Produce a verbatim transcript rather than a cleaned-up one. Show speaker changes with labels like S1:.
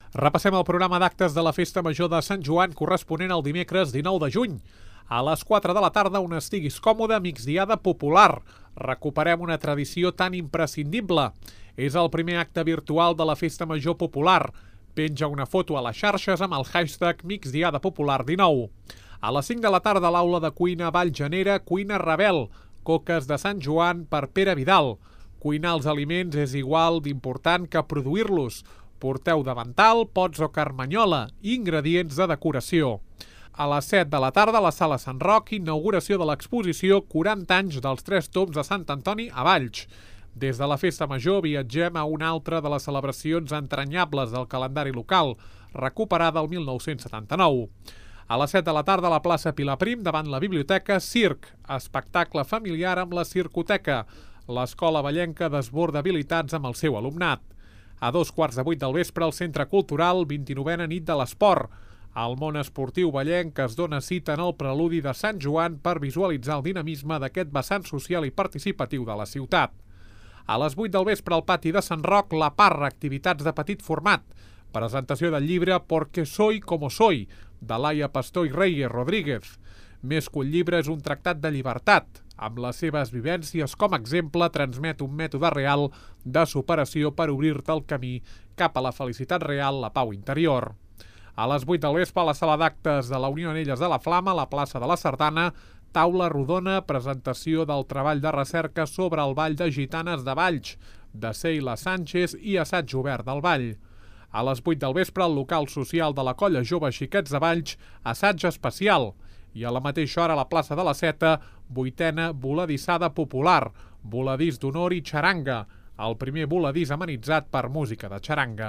S1: Repassem el programa d'actes de la Festa Major de Sant Joan corresponent al dimecres dinou de juny. A les quatre de la tarda, on estiguis còmode, migdiada popular. Recuperem una tradició tan imprescindible. És el primer acte virtual de la Festa Major popular. Penja una foto a les xarxes amb el hashtag migdiada popular dinou. A les cinc de la tarda, a l'aula de cuina Vallgenera, cuina Rebel. Coques de Sant Joan per Pere Vidal. Cuinar els aliments és igual d'important que produir-los. Porteu davantal, pots o carmanyola, ingredients de decoració. A les set de la tarda, a la sala Sant Roc, inauguració de l'exposició quaranta anys dels tres tombs de Sant Antoni a Valls. Des de la Festa Major viatgem a una altra de les celebracions entranyables del calendari local, recuperada el mil nou-cents setanta-nou. A les set de la tarda, a la plaça Pilaprim, davant la biblioteca, circ, espectacle familiar amb la circoteca. L'escola vallenca desborda habilitats amb el seu alumnat. A dos quarts de vuit del vespre, al Centre Cultural, vint-i-novena nit de l'esport. El món esportiu vallenc es dona cita en el preludi de Sant Joan per visualitzar el dinamisme d'aquest vessant social i participatiu de la ciutat. A les vuit del vespre, al pati de Sant Roc, la Parra, activitats de petit format. Presentació del llibre Porque soy como soy, de Laia Pastor i Reyes Rodríguez. Més que un llibre, és un tractat de llibertat. Amb les seves vivències com a exemple, transmet un mètode real de superació per obrir-te el camí cap a la felicitat real, la pau interior. A les vuit del vespre, a la sala d'actes de la Unió Anelles de la Flama, a la plaça de la Sardana, taula rodona, presentació del treball de recerca sobre el Ball de Gitanes de Valls, de Seila Sánchez i assaig obert del ball. A les vuit del vespre, al local social de la Colla Jove Xiquets de Valls, assaig especial. I a la mateixa hora, a la plaça de la Seta, vuitena voladissada popular, voladís d'honor i xaranga, el primer voladís amenitzat per música de xaranga.